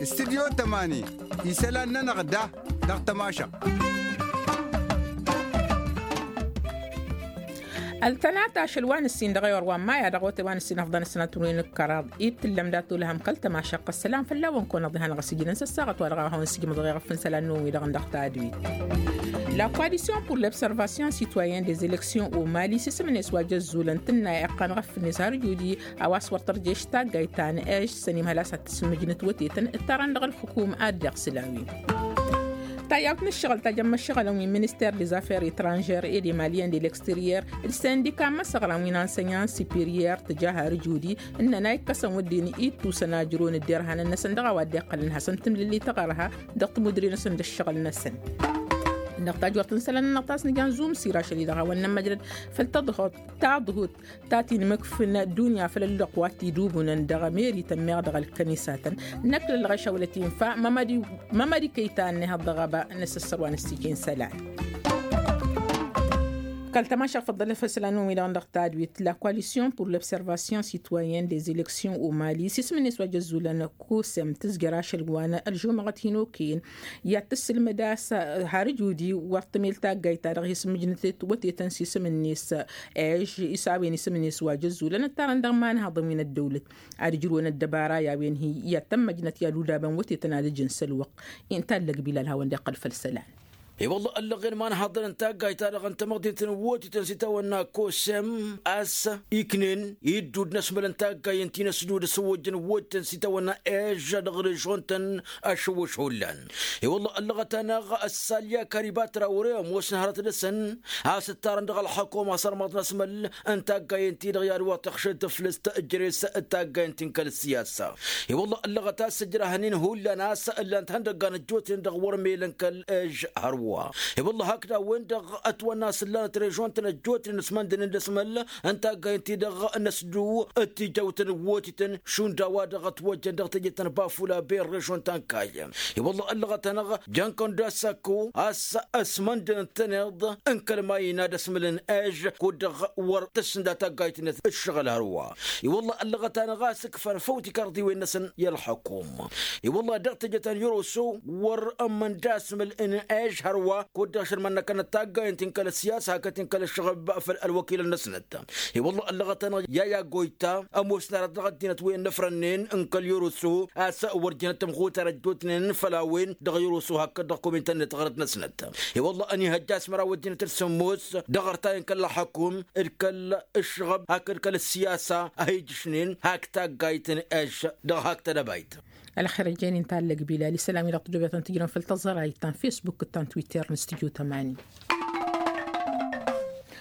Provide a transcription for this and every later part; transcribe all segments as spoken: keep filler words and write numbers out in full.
Studyo tămani, isălan-nănăɣ da dăɣ-tămašăɣt. Ăltănat ašăl wa n-ǝssin dăɣ-ewăr wa n-maya dăɣ-ote wa n-ǝssin ăfḍăn ăssinăt wi n-ǝkkăraḍ-i t-tǝllăm dat-olăhăm kăl-tămašăɣt ăssălam fălla-wăn kăwăn-ăḍḍihăn ɣas ijǝlăn s-ăssaɣăt wa dăɣ-a hawăn-sǝjmǝḍ ɣef n-isălan-năwăn wi-dăɣ n-dăɣ tadwit. La coalition pour l'observation citoyenne des élections au mali s-isǝmnes wa jăzzulăn tǝnna iqqan ɣef-net har ǝjud-i a-wa s-wăr tărješ taggayt ta n-ež s-ănimhăl a-s ad-tǝsǝmmǝjnǝt wătetăn ǝttarăn dăɣ-ǝlxǝkum ad-deɣ s-ǝlawen. Tayyawt n-ǝššăɣǝl tajămmăt šăɣǝlăn wi n-minister des affaires étrangères et des maliens de l'extérieur d-sindika n-imăsăɣran wi n-ansenyan superior tǝja har ǝjud-i ǝnnăn a ikkăsăn wădden ittusăn ajrăwăn dd-irhanăn-năsăn dăɣ-a-wa dd-iqqălăn hasăn-tǝmlǝlli taɣărha dăɣ-timudre-năsăn d-ǝššăɣǝl-năsăn. Dăɣ-tajwărt n-isălan-nănăɣ ta s-nǝjan zumsir ašăl-i-dăɣ a-wa n-nămmăjrăd făll-taḍhut taḍhut ta tinmǝkf n-ăddunya făll-ălluqq wa t-idubunăn dăɣ-ămerităn meɣ dăɣ-ălkănisatăn. Năkk lălɣeš a wălăt infa mămădi kăy-ta ănnihăḍ dăɣ-ăba n-asǝssăr wa n-ăssijen isălan. Kăl-tămašăɣ făḍḍălăt făll-isălan-năwăn wi-dăɣ n-dăɣ tadwit la coalition pour l'observation citoyenne des élections au mali s-isǝm-net wa jăzzulăn kosem tǝzjăr ašăl wa n-ălžumăɣăt hin-okăyăn i-ad-tǝssǝlmăd a-s har ǝjudi wăr tămel taggayt-ta-dăɣ hi-sǝmmǝjnăt wătetăn s-isǝm-net ež isawăn isǝm-net wa jăzzulăn ǝttarăn dăɣ-imanhăḍăn wi n-ăddăwlăt ad-ǝjrǝwăn ăddăbara i-a-wen hi-i ad-tămmăjnăt i-ad-udabăn wătetăn ad-ǝjǝn s-ălwăqq. Inta ăllăg bilal hawăn-dd-iqqăl făll-isălan. I-wălla ăllăɣen imanhăḍăn n-taggayt-ta-dăɣ n-tamăḍint n-wotităn s-itawănna kosem a-s iknen iddud n-asmăl n-taggay n-ti n-ăsdud s-ăwwăjjăn wotităn s-itawănna ežža dăɣ-režon-tăn ašăwwăš hullan. I-wălla ăllăɣăt-anăɣ ăssalya karibat rawre ămoosăn hărăt dăɣ-săn a-s ǝttarăn dăɣ-ălxăkom asărmăḍ n-asmăl n-taggay n-ti-dăɣ i-ad-wăr tăɣšăd tǝflǝst ǝjres d-taggay n-ti n-kăl-ăssiyasa. I-wălla ăllăɣăt a-s ǝjrăhăn-in hullan a-s ǝllan-t ihăndăggan ăjjootnen dăɣ-wăr melăn kăl-ež hărwa. I-wălla hakd a-wen-dăɣ ătwănna a-s ǝllanăt režon-tăn ăjjootnen ăsmăndănen d-asmăl n-taggay n-ti-dăɣ n-ăsdu d-tijăwt n-wotităn šund a-wa-dăɣ ătwăjjăn dăɣ-teje ta n-bafula ben režon ta n-kayy. I-wălla ăllăɣăt-anăɣ jăn kăndasako a-s ăsmăndănăn-tăn iḍ n-kăl-mayna d-asmǝl n-ež kud-dăɣ wăr tǝssǝnda taggayt-net ǝššăɣǝl hărwa. I-wălla ăllăɣăt-anăɣ a-s ǝkfăn făw tikarḍiwen-năsăn i-ălxăkum. I-wălla dăɣ-teje ta n-yăroso wăr ǝmmǝnda asmǝl n-ež hărwa kud-dăɣ šălmănnăkănăt taggayăn ti n-kăl-ăssiyas hakd ti n-kăl-ăššăɣǝb făll-ălwăkilăn-năsnăt. I-wălla ăllăɣăt-anăɣ yaya goyta ămoosnărat dăɣ-ăddinăt wen n-ăfrănnen n-kăl-yăroso a-s wăr jănăt tămxutar ăjjootnen făll-a-wen dăɣ-yăroso hakd dăɣ-komintăn-net ɣărăt-năsnăt. I-wălla ănihăjja asmăraw ăddinăt d-sǝmmos dăɣ-ărtayăn kăl-ălxăkum d-kăl-ǝššăɣăb hakd kăl-ăssiyasa a hi-ijǝšnen hak taggayt n-ež dăɣ-hak tedăbayt. Ălxer ăjjeen-in tallăg bilal isălan-wi-dăɣ tǝjobetăn tǝjrăn făll-tăẓărayt ta n-fesbuk d-ta n-twitter n-studyo tămani.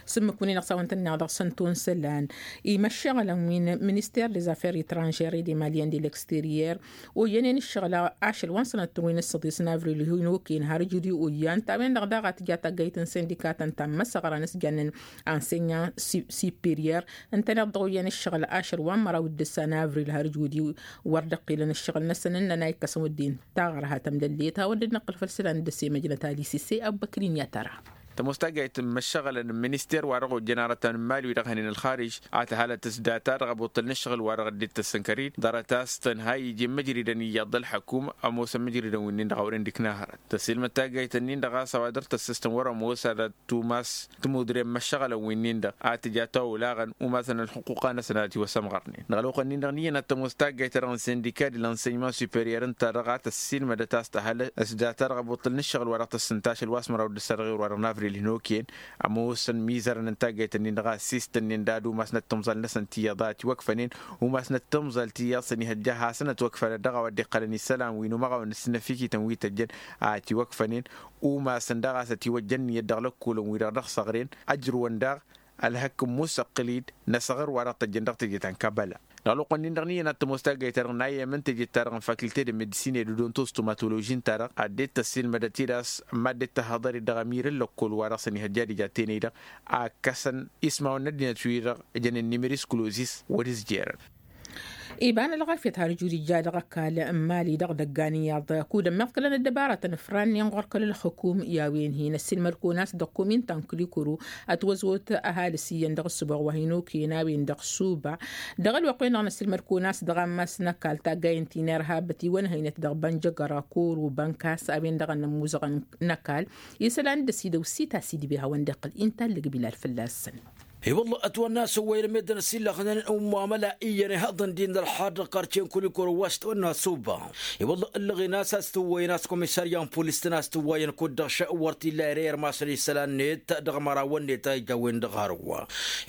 S-ǝmmǝk-win-i dăɣ-s a-wen tǝnneɣ dăɣ-săn ton isălan imăššăɣălăn wi n-minister des affaires étrangères et des maliens de l'extérieur. Oyyănen ǝššăɣǝl ašăl wa n-sănăttăr wi n-ǝssăḍis n-avril hin-okăyăn har ǝjud i-oyyan ta-wen-dăɣ daɣ a tǝja taggayt n-sindikatăn ta n-imăsăɣra n-asjan n-ansenyan superior. Ǝntăneḍ dăɣ-oyyăn ǝššăɣǝl ašăl wa n-măraw d-ǝssa n-avril har ǝjud i-wăr dd-ăqqilăn ǝššăɣǝl-năsăn ǝnnăn a ikkăsăn wădden taɣărha tămlăllet hawăn-dd-năqqǝl făll-isălan d-ăsemăjnăt alisi s-e abbăkrin i-ad-tăra. Tămoos taggayt n-imăššăɣălăn n-minister wa dăɣ-ojjăn arătăn n-imali wi dăɣ-hănen ălxarij a tǝhalăt s-data dăɣ-abuṭṭǝl n-ǝššăɣǝl wa dăɣ-dd-ittăssăn kărid ḍarăt a-s tăn-ha iji n-imǝjridăn iyyăḍ d-ălxăkum. Ămoosăn imǝjridăn wi-nin-dăɣ a wăren d-ikna hărăt tăsilmăd taggayt-nin-dăɣ a-s a-wa dăr-tăssăstăn wăr-ămoos ad-tumas tămudre n-imăššăɣălăn wi-nin-dăɣ a tǝja ta olaɣăn umasăn ălxuqquqa-năsăn a tiwăsămɣărnen dăɣ-ălwăqq-nin-dăɣ n-iyyăn ad-tămoos taggayt-ta-dăɣ n-sindika d-ălănsăyman superior ǝnta-dăɣ a tăssiilmădăt a-s tăhăl s-data dăɣ-abuṭṭǝl n-ǝššăɣǝl wa dăɣ-tăssǝnta ašăl wa s-măraw d-ǝssa dăɣ-iwr wa dăɣ-navril hin-okăyăn. Ămoosăn imizărăn n-taggayt-nin-dăɣ a ăssiistănnen d-ad-umasnăt timẓal-năsăn ti iyyăḍ a ătiwăkfănen umasnăt timẓal ti iyyăḍ s-ănihăjja hasăn-ătwăkfănăt dăɣ-a-wa dd-iqqălăn isălan wi n-umăɣaw n-ǝssǝnnăfikităn wi tăjjăn a ătiwăkfănen. Umasăn daɣ a-s ătiwăjja ǝnniyăt dăɣ-lăkkolăn-wi-dăɣ dăɣ-săɣren ăjrǝwăn daɣ ălhăkk n-musăqqǝl-dd n-asăɣăr wa dăɣ-tăjjăn dăɣ-teje ta n-kabăla. Dăɣ-ălwăqq-nin-dăɣ n-iyyăn ad-tămoos taggayt-ta-dăɣ n-ayyăm n-teje-ta-dăɣ n-fakilte d-medisine d-odontos tomatoloži ǝnta-dăɣ a dd-tăssiilmădăt-dd a-s mad-dd-tăhhăḍăr-dd dăɣ-amir n-lăkkol wa dăɣ-săn ihăjja d-ija tenăy-dăɣ a ǝkkăsăn ismawăn n-ăddinăt-wi-dăɣ jănen n-imiris kulozis wăr-izjerăn. Iba n-ălɣafyăt har ijud ija dăɣ-ăkall n-imali dăɣ-idăggan iyyăḍ kud-ămmiḍkălăn ăddăbarătăn ǝfrannen ɣur-kăl-ălxukum i-a-wen-hin ăssiilmăd-kăwăn a-s dăɣ-kumin ta n-kǝlikuru. Ătwăzot ăhalǝs iyyăn dăɣ-ǝssǝboɣ wa hin-okăyăn a-wen dăɣ-suba dăɣ-ălwăqq-wen-dăɣ n-ăssiilmăd-kăwăn a-s dăɣ-ammas n-ăkall taggayen ti n-irhab ătiwănhăynăt dăɣ-bănjăgăra kuru bănkas a-wen-dăɣ ănnămmuzăɣăn n-ăkall. Isălan d-ăsidăw s-itas idbe hawăn-dd-iqqǝl inta ǝllǝg bilal fălla-săn. I-wălla ătwănna a-s ăwwăyăn meddǝn ăsillăxnen n-umamăla iyyăn ihăḍăn-dd-in d-ălḥar dăɣ-karce n-kulikoro wa s-tăwănna suba. I-wălla ǝllăɣen a-s a-s tǝwwăyăn a-s komisarya n-pulis-tăn a-s tǝwwăyăn kud-dăɣ š-wăr t-illa ere irmasăn isălan-net dăɣ-mărawăn-net a ija a-wen-dăɣ hărwa.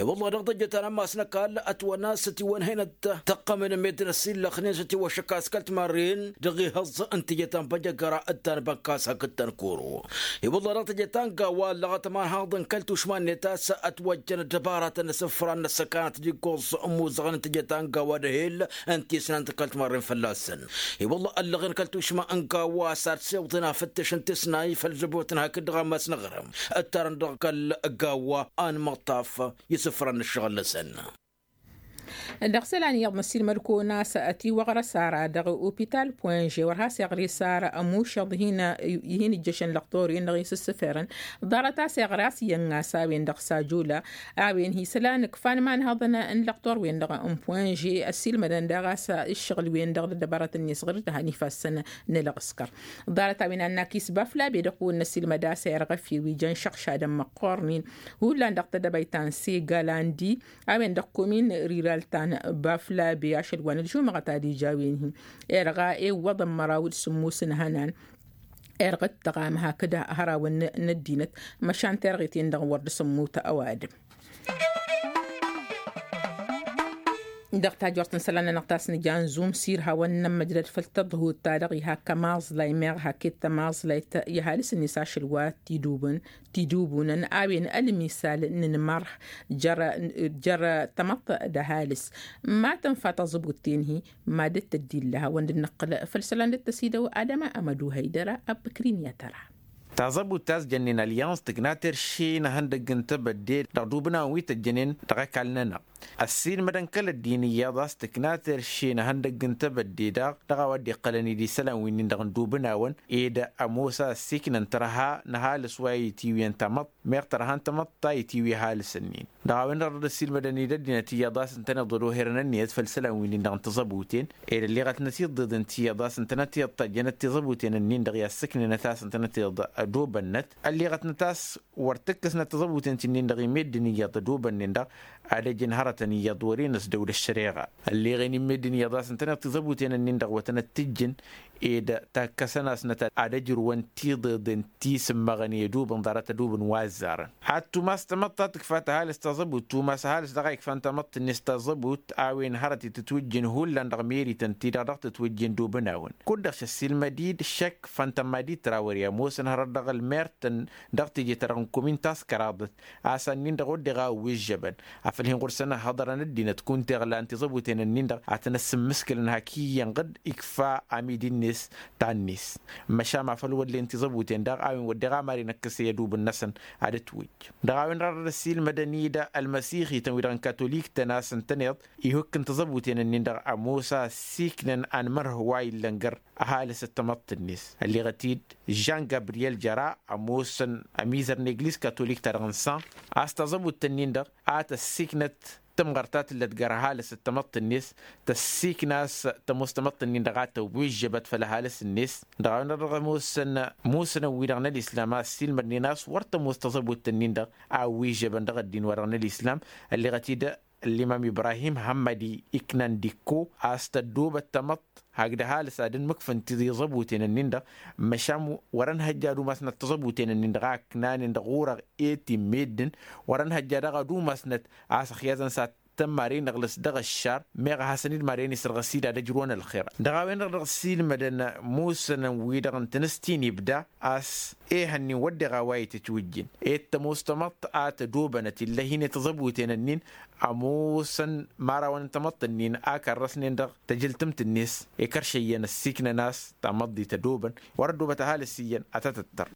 I-wălla dăɣ-tăjjăt ta n-ammas n-ăkall ătwănna a-s ătiwănhăynăt tăqqămăn meddǝn ăsillăxnen s-ătiwăššăk a-s kăl-timarren dăɣ-ihăẓẓ n-tijăt ta n-băjăgăra d-ta n-bănkas hakd ta n-koro. I-wălla dăɣ-tijăt ta n-gawa ăllăɣăt ămanhaḍ n-kăl-tušma-net a-s ătwăjjăn ăddăbaratăn n-asǝfran n-ăssăkanăt d-iggoẓ n-imuzăɣăn n-tijăt ta n-gawa d-ehel n-tisnant n-kăl-timarren fălla-săn. I-wălla ăllăɣen kăl-tušma n-gawa a-s ad-siwḍen afǝttǝš n-tisnay făll-zăbotăn hakd dăɣ-ammas n-aɣrǝm ǝttarăn dăɣ-kăl-gawa a n-imăṭṭaf isǝfran n-ǝššăɣǝl-năsăn. Dăɣ-isălan iyyăḍ n-ăssiilmăd-kăwăn a-s ătiwăɣrăs ara dăɣ-opital poinže wăr has-iɣrǝs ara ămušăḍ hin-ijjăšăn lăqtor-in-dăɣ isǝssǝferăn. Ḍarăt a-s iɣrǝs iyyăn ɣas a-wen-dăɣ sajula a-wen hi-isălan ǝkfan imanhăḍăn n-lăqtor-wen-dăɣ n-poinže ăssiilmădăn daɣ a-s ǝššăɣǝl-wen-dăɣ d-ăddăbarătăn-net ɣǝr-dd a han ifassăn n-ălɣǝskăr. Ḍarăt a-wen a n-akis baflabe dăɣ-kăwăn n-ăssiilmăd a-s irɣăf i-wi jăn šăɣšadăn măqqornin hullan dăɣ-tedăbayt ta n-segalandi a-wen dăɣ-komin riral ta n-baflabe ašăl wa n-ălžumăɣăt ad-ija a-wen-hi. Irɣa ewwăḍăn măraw d-sǝmmus n-ihănan irɣa ǝttăɣam hakd hărawăn n-ăddinăt măšan terɣet-en-dăɣ wăr dd-sǝmmut ăwadǝm. Dăɣ-tajort n-isălan-nănăɣ ta s-nǝja n-zumsir hawăn-nămmăjrăd făll-tăḍhut-ta-dăɣ iha kămaẓlay meɣ haket tămaẓlayt i-ăhalǝs-net ašăl wa t-idubǝn tidubunăn a-wen ălmisal n-inmărh jer-tamăḍt d-ăhalǝs. Ma tǝnfa tăẓǝbut-ten-hi mad-dd-tăddilla hawăn-dd-nǝqqǝl făll-isălan dd-tăsidăw adăma amădu hăydăra ăbbăkrin i-ad-tăra. Taẓăbut ta s-jănnen ălyans tǝkna terše n-ehăndăgg n-tebădde dăɣ-dubǝnawăn wi tăjjănen dăɣ-ăkall-nănăɣ. Ăssiilmădăn kăl-ăddin iyyăḍ a-s tǝkna terše n-ehăndăgg n-tebădde daɣ dăɣ-a-wa dd-iqqălăn-dd isălan winnin-dăɣ n-dubǝnawăn ed ămoos a ăssiiknăn tărha n-ăhalǝs wa itiwǝyăn tamăḍt meɣ tărha n-tamăḍt ta itiwǝy ăhalǝs-ǝnnin. Dăɣ-a-wen-dăɣ dd-ăssiilmădăn-dd ăddinăt iyyăḍ a-s ǝntăneḍ ădoherăn ǝnniyăt făll-isălan winnin-dăɣ n-tiẓăbuten ed ălleɣătnăt iḍeḍen tiyyăḍ a-s ǝntănăt iḍtajjănăt tiẓăbuten-ǝnnin-dăɣ i-assǝknenăt a-s ǝntănăt iḍ ădobănnăt ălleɣătnăt a-s wăr tǝkkǝsnăt tiẓăbuten ti-nin-dăɣ i-meddǝn iyyăḍ ădobănnen-dăɣ ad-ăjǝn hărătăn iyyăḍ wăr-enăs dăw-dd-ăššăreɣa. Ălleɣen i-meddǝn iyyăḍ a-s ǝntăneḍ tiẓăbuten-ǝnnin-dăɣ wătăn ăttijjǝn ed takkăsăn-asnăt ad-ăjrǝwăn tiḍeḍen ti s-ǝmmăɣăn i-ădubǝn ḍarăt ădubǝn wa ăzzarăn. Ad-tumas tamăḍt ta tǝkfa tăhalǝs taẓăbut tumas ăhalǝs dăɣ-a ikfan tamăḍt-net taẓăbut a-wen hărăt i-tǝtwǝjjǝn hullan dăɣ-merităn-ti-dăɣ dăɣ-tǝtwǝjjǝn dubǝnawăn kud-dăɣ šăssiilmăd-dd šăkk făn tămmadit trawări ămoosăn hărăt dăɣ-ălmert-tăn dăɣ-teje-ta-dăɣ n-kumin taskăraḍăt a-s annin-dăɣ wădden a ăwwižžăbăn afăl hin-ɣur-săn ăhhăḍărăn ăddinăt kunta iɣlan tiẓăbuten-ǝnnin-dăɣ ad-tăn-ăssimmǝskǝlăn hak iyyăn ɣǝd ikfa amidi-net ta n-net. Măšan afăl wăllen tiẓăbuten daɣ a-wen wădden a mad-inăkkăs i-ădubǝn-năsăn ad-ătwǝjj. Dăɣ-a-wen-dăɣ dd-ăssiilmădăn-dd ălmăsixităn-wi-dăɣ n-katolik-tăn a-s ǝntăneḍ ihukk n-tiẓăbuten-ǝnnin-dăɣ ămoos a ăssiiknăn anmărh wa illăn găr ăhalǝs d-tamăḍt-net. Ălleɣăt-dd žan gabriyel jăra ămoosăn ămizăr n-egliz katolik-ta-dăɣ n-san a-s taẓăbut-tăn-in-dăɣ a tăssiiknăt tǝmɣărt ta tǝllăt găr ăhalǝs d-tamăḍt-net tăssiikna a-s tămoos tamăḍt-nin-dăɣ a tăwwižžăbăt făll-ăhalǝs-net. Dăɣ-a-wen-dăɣ dăɣ-ămoosăn musǝnăn-wi-dăɣ n-ălislam a ăssiilmădnen a-s wăr tămoos taẓăbut-tăn-in-dăɣ a ăwwižžăbăn dăɣ-ăddin-wa-dăɣ n-ălislam. Ălleɣăt-dd ăllimam ibrahim hămmădi iknan dikko a-s tăddoobăt tamăḍt hakd ăhalǝs ad-ănmǝkfǝn tiẓăbuten-nin-dăɣ măšan wăr-ănhăjja ad-umasnăt tiẓăbuten-nin-dăɣ a ǝknanen dăɣ-urăɣ i-ti n-meddǝn wăr-ănhăjja daɣ ad-umasnăt a-s ăxyazăn s-ad-tăn mad-e-nǝɣlǝs dăɣ-ăššar meɣ a hasăn-dd mad-e-nǝsrăɣ s-dd ad-ăjrǝwăn ălxer. Dăɣ-a-wen-dăɣ dăɣ-ăssiilmădăn musǝnăn-wi-dăɣ n-tǝnǝst-in ibda a-s ehăn-in wădden a-wa itǝtwǝjjǝn ed tămoos tamăḍt a tădobănăt ill'-e hin-e tiẓăbuten-nin ămoosăn imărawăn n-tamăḍt-nin a kărrăsnen dăɣ-tăjǝltǝmt-net ikărš iyyăn ăssiiknăn a-s tamăḍt di tădobăn wăr-ăddobăt ăhalǝs iyyăn ad-tăt-ǝttăr.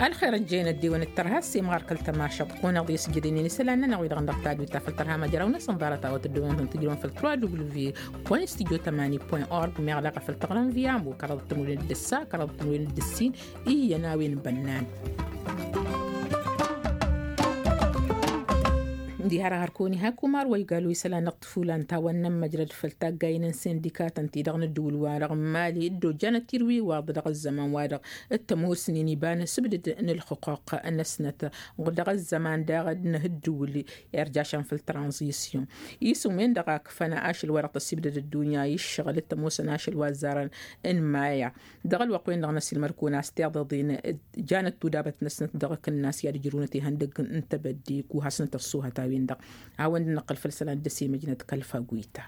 Ălxer ăjjăyăn ăddiwăn d-tărha s-imɣar kăl-tămašăḍt kunăɣ-dd i-sǝjǝdǝynen isălan-nănăɣ wi-dăɣ n-dăɣ tadwit ta făl tărha măjraw-năsăn ḍarăt a-wa tăddoonăn-tăn tǝjrǝwăn făl trois w point studio tămani point org meɣ daɣ a făl tăɣrăm via ămbu kăraḍăt tămwilăn d-ǝssa kăraḍăt tămwilăn d-ǝssin. Iyyăn a-wen bănnan diha-dăɣ hărkăwăn ihak umar wa igal wi isălan-năɣ tǝfulan ta wa n-nămmăjrăd făll-taggayen n-sindikatăn-ti-dăɣ n-ǝddǝwǝl-wa-dăɣ n-mali dd-ojjanăt tirwiwaḍ dăɣ-ăzzăman-wa-dăɣ. T-ămoosnen iba n-asǝbdǝd n-ǝlxǝqquq-năsnăt dăɣ-ăzzăman daɣ d-inǝhǝddǝwǝl irjašăn făll-tranzisyon isǝm-wen-dăɣ a ǝkfăn ašăl wa dăɣ-tăsibdăd ăddunya i-ǝššăɣǝl t-ămoosăn ašăl wa ăzzarăn n-maya. Dăɣ-ălwăqq-wen-dăɣ n-ăsilmăr-kăwăn a-s tiḍeḍen janăt tudabăt-năsnăt dăɣ-akǝnnas i-ad-ǝjrǝwnăt ihăndăgg n-tebădde kuhasnăt ăṣṣuhăt a-wen-dăɣ a-wen-dăɣ năqqăl făll-isălan dd-ăsimăjnăt kăl-faguyta.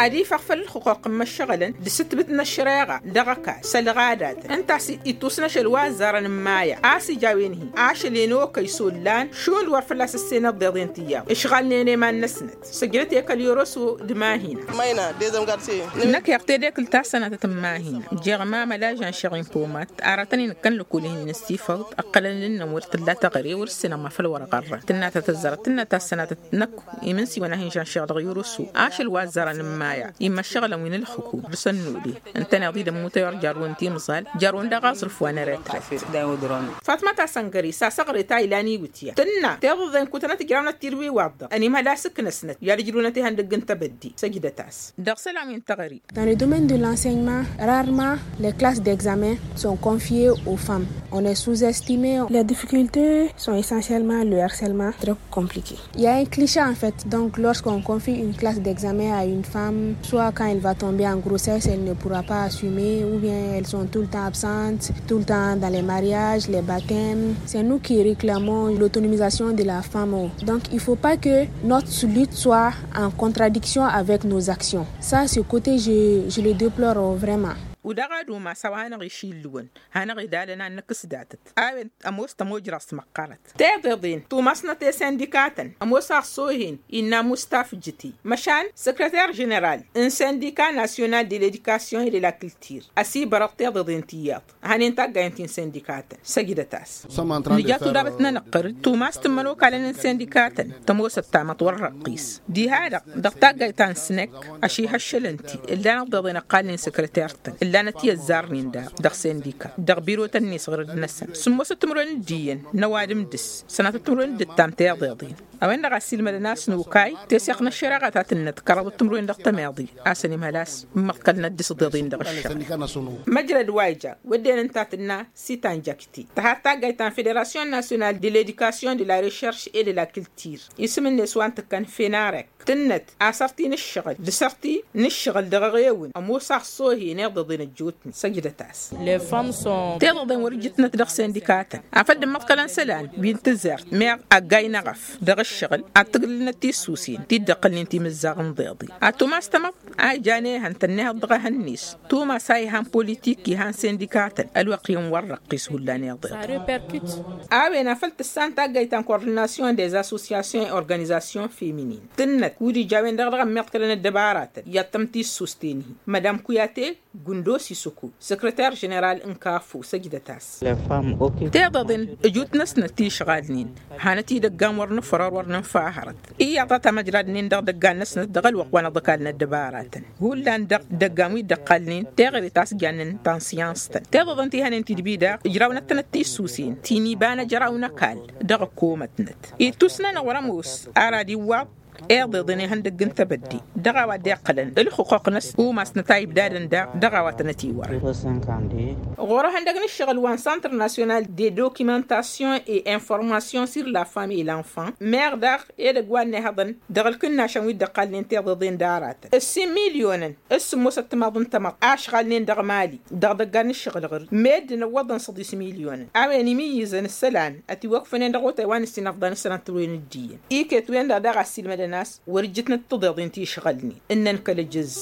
Ad-ifăɣ făll-ǝlxǝqquq n-imăššăɣǝlăn d-sǝtbǝt n-ăššăreɣa dăɣ-ăkall s-ălɣadatăn ǝnta a-s ittus n-ašăl wa ăzzarăn n-maya a-s ija a-wen-hi ašăl i-ănokăy s-ollan šund wăr fălla-s ǝssenăt tiḍeḍen ti iyyăḍ ǝšɣalnen i-iman-năsnăt. Săjdăt i-kăl yoroso d-mahina. Năkk iɣ tedekǝlt ta s-sănatăt n-mahina jeɣ mamăl ažănšeɣ inpomat aratăn-in ǝkkăn lăkul-hin-in ăssifăwt ăqqălăn ǝnnăn wăr t-tǝlla taɣre wăr-ǝssinăɣ ma făl wăr-ɣărrăn tǝnna ta tăzzărăt tǝnna ta s-sănatăt. Năkk imǝnsiwăn a hin-žănšeɣ dăɣ-yoroso ašăl wa ăzzărăn n-maya immăššăɣǝlăn wi n-ǝlxǝkum dăr-s ănnole ǝntăneḍ-i d-ămmutăy wăr jarrăwăn timẓal jarrăwăn daɣ aẓrǝf wa n-eretret. Fatma ta săngări s-asăɣre ta ilan iwǝtya tǝnna tiḍăḍen kutănăt ǝjrawnăt tirwiwaḍ-dăɣ ănimhăl asǝknăsnăt i-ad-ǝjrǝwnăt ihăndăgg n-tebădde săjdăt-as. Dăɣ-isălan wi n-teɣări. Dans le domaine de l'enseignement, rarement les classes d'examen sont confiées aux femmes. On est sous-estimé. Les difficultés sont essentiellement le harcèlement, très compliqué. Il y a un cliché en fait. Donc lorsqu'on confie une classe d'examen à une femme, soit quand elle va tomber en grossesse, elle ne pourra pas assumer, ou bien elles sont tout le temps absentes, tout le temps dans les mariages, les baptêmes. C'est nous qui réclamons l'autonomisation de la femme. Donc il faut pas que notre lutte soit en contradiction avec nos actions. Ça, ce côté, je, je le déplore vraiment. Wi dăɣ-ad-umas a-wa hanăɣ-išillǝwăn hanăɣ-idalăn ad-năkk s-datăt a-wen ămoos tămojraẓt măqqărăt. Tiḍeḍen tumasnăt i-sindikatăn ămoos aɣsohen innă mustaf jǝti măšan săkrăter ženeral n-sindika nasyonal de ledikasyon i-de la kǝltir ăsibărăɣ tiḍeḍen ti iyyăḍ. Hanen taggayăn ti n-sindikatăn săjdăt-as. Nǝja tudabăt n-anăqqăr tumas tǝmmăn okalăn n-sindikatăn tămoosăt tamăḍt wăr răqqis diha-dăɣ dăɣ-taggayt ta n-snăk. Ašihăššălăn-ti ǝllanăt tiḍeḍen ăqqalnen săkrăter-tăn ǝllanăt i-ăzzarnen daɣ dăɣ-sindika dăɣ-birotăn-net ɣǝrǝd-năsăn sǝmmosăt timǝrwen d-iyyăn n-ăwadǝm dăɣ-s sănatăt timǝrwen d-ǝttam tiḍeḍen. A-wen-dăɣ a ăssiilmădăn a-s n-okay teseɣt n-ăššăreɣa ta tǝnnăt kăraḍăt timǝrwen dăɣ-tămeḍe a-s ănimhăl a-s ǝmmăḍkălnăt d-isǝḍeḍen dăɣ-ǝššăɣ. Măjrăd wa ija wădden ǝnta tǝnna s-itanjăkte tăhat taggayt ta n-federasyon nasyonal de ledikasyon de la recherš e de la kǝltir isǝm-net wa n-tǝkkăn fenarek tǝnnăt a-s ărti n-ǝššăɣǝl d-asărti n-ǝššăɣǝl dăɣ-eɣewǝn ămoos aɣsohen iḍeḍen ăjjootnen săjdăt-as. Tiḍeḍen wăr-ǝjjǝtnăt dăɣ-sindikatăn afăl dd-ǝmmăḍkălăn isălan wi n-tǝzzert meɣ ăggay n-eɣăf dăɣ-ǝššăɣǝl ad-tǝglǝlnăt tissusen ti dd-ăqqălnen timǝzzaɣ n-iḍeḍen ad-tumas tamăḍt a ijan ehăn tănnihăḍ dăɣ-ehăn-net tumas a ihan politik ihan sindikatăn ălwăqq-in wăr răqqis hullan iḍeḍen. A-wen afăl tǝssan taggayt ta n-kordinasyon des assosyasyon i-organizasyon feminin tǝnnăt kud ija a-wen-dăɣ dăɣ-ămmiḍkălăn ăddăbaratăn i-ad-tăm tissusten-hi. Mădam kuyate gundo sisuku săkrăter ženeral n-kaffu săjdăt-as. Tiḍeḍen ǝjut-năsnăt ti išɣalnen hanăt-idăggan wăr nǝfrăr wăr nǝnfahărăt iyyăḍ a tamăjradnen dăɣ-idăggan-năsnăt dăɣ-ălwăqq wa n-ăḍkalăn ăddăbaratăn. Hullan dăɣ-idăggan wi dd-ăqqalnen teɣăre ta s-jannen tansiyans-tăn tiḍeḍen ti hănen tidbi daɣ ǝjrawnăt-tănăt tissusen ti n-iba n-ăjraw n-ăkall dăɣ-ăkkomătnăt ittus-nănăɣ wăr-ămoos. Ar ad-iwwaḍ iḍeḍen ihăndăgg n-tebădde dăɣ-a-wa dd-iqqălăn ǝlxǝqquq-năsăn umasnăt a ibdadăn daɣ dăɣ-a-wa tănăt-iwărăn. Ɣur-ehăndăgg n-ǝššăɣǝl wa n-centre national de documentation et information sur la femme et l'enfant meɣ daɣ edăgg wa n-ihăḍăn dăɣ-ǝlkǝnnašăn wi dd-ăqqalnen tiḍeḍen d-aratăn ǝssin milyonăn s-sǝmmosăt timaḍ n-tamăḍt a ǝšɣalnen dăɣ-mali dăɣ-idăggan n-ǝššăɣǝl ɣǝr meddǝn ǝwwăḍăn săḍis milyonăn a-wen imǝyyǝzăn isălan ătiwăkfănen dăɣ-otay wa n-ǝssin ăfḍăn s-sănăt tǝrwen d-iyyăn iket-wen-dăɣ daɣ a ăssiilmădăn a-s wăr-ǝjjǝtnăt tiḍeḍen ti ǝšɣălnen ǝnnăn kăl-ǝjǝz.